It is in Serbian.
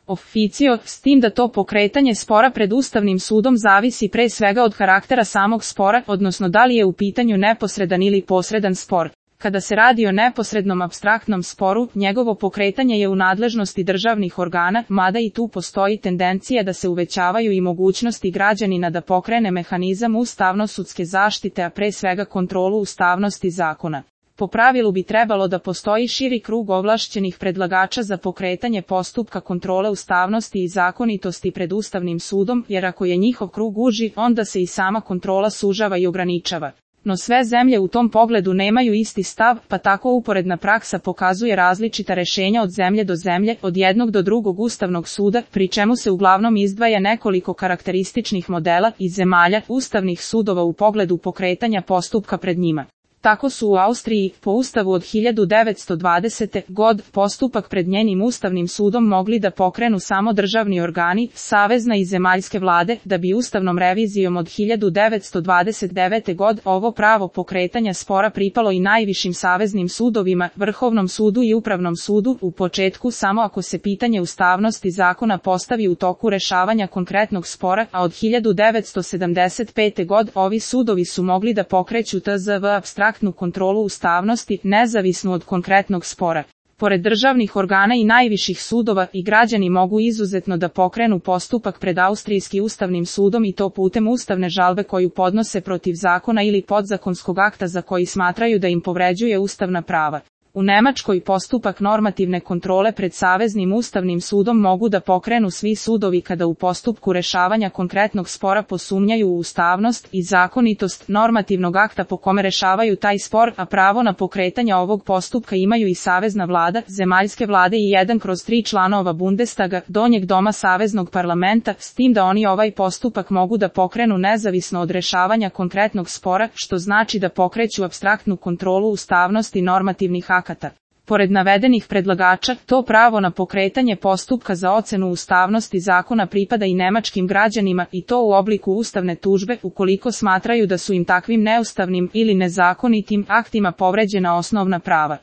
officio, s tim da to pokretanje spora pred Ustavnim sudom zavisi pre svega od karaktera samog spora, odnosno da li je u pitanju neposredan ili posredan spor. Kada se radi o neposrednom apstraktnom sporu, njegovo pokretanje je u nadležnosti državnih organa, mada i tu postoji tendencija da se uvećavaju i mogućnosti građanina da pokrene mehanizam ustavno-sudske zaštite, a pre svega kontrolu ustavnosti zakona. Po pravilu bi trebalo da postoji širi krug ovlašćenih predlagača za pokretanje postupka kontrole ustavnosti i zakonitosti pred Ustavnim sudom, jer ako je njihov krug uži, onda se i sama kontrola sužava i ograničava. No sve zemlje u tom pogledu nemaju isti stav, pa tako uporedna praksa pokazuje različita rešenja od zemlje do zemlje, od jednog do drugog Ustavnog suda, pri čemu se uglavnom izdvaja nekoliko karakterističnih modela iz zemalja ustavnih sudova u pogledu pokretanja postupka pred njima. Tako su u Austriji, po ustavu od 1920. god, postupak pred njenim Ustavnim sudom mogli da pokrenu samo državni organi, savezna i zemaljske vlade, da bi ustavnom revizijom od 1929. god ovo pravo pokretanja spora pripalo i najvišim saveznim sudovima, Vrhovnom sudu i Upravnom sudu, u početku samo ako se pitanje ustavnosti zakona postavi u toku rešavanja konkretnog spora, a od 1975. god ovi sudovi su mogli da pokreću tzv. apstraktnu kontrolu ustavnosti, nezavisnu od konkretnog spora. Pored državnih organa i najviših sudova, i građani mogu izuzetno da pokrenu postupak pred Austrijski ustavnim sudom i to putem ustavne žalbe koju podnose protiv zakona ili podzakonskog akta za koji smatraju da im povređuje ustavna prava. U Nemačkoj postupak normativne kontrole pred Saveznim ustavnim sudom mogu da pokrenu svi sudovi kada u postupku rešavanja konkretnog spora posumnjaju u ustavnost i zakonitost normativnog akta po kome rešavaju taj spor, a pravo na pokretanje ovog postupka imaju i Savezna vlada, zemaljske vlade i 1/3 članova Bundestaga, donjeg doma Saveznog parlamenta, s tim da oni ovaj postupak mogu da pokrenu nezavisno od rešavanja konkretnog spora, što znači da pokreću apstraktnu kontrolu ustavnosti normativnih akata. Pored navedenih predlagača, to pravo na pokretanje postupka za ocenu ustavnosti zakona pripada i nemačkim građanima i to u obliku ustavne tužbe, ukoliko smatraju da su im takvim neustavnim ili nezakonitim aktima povređena osnovna prava.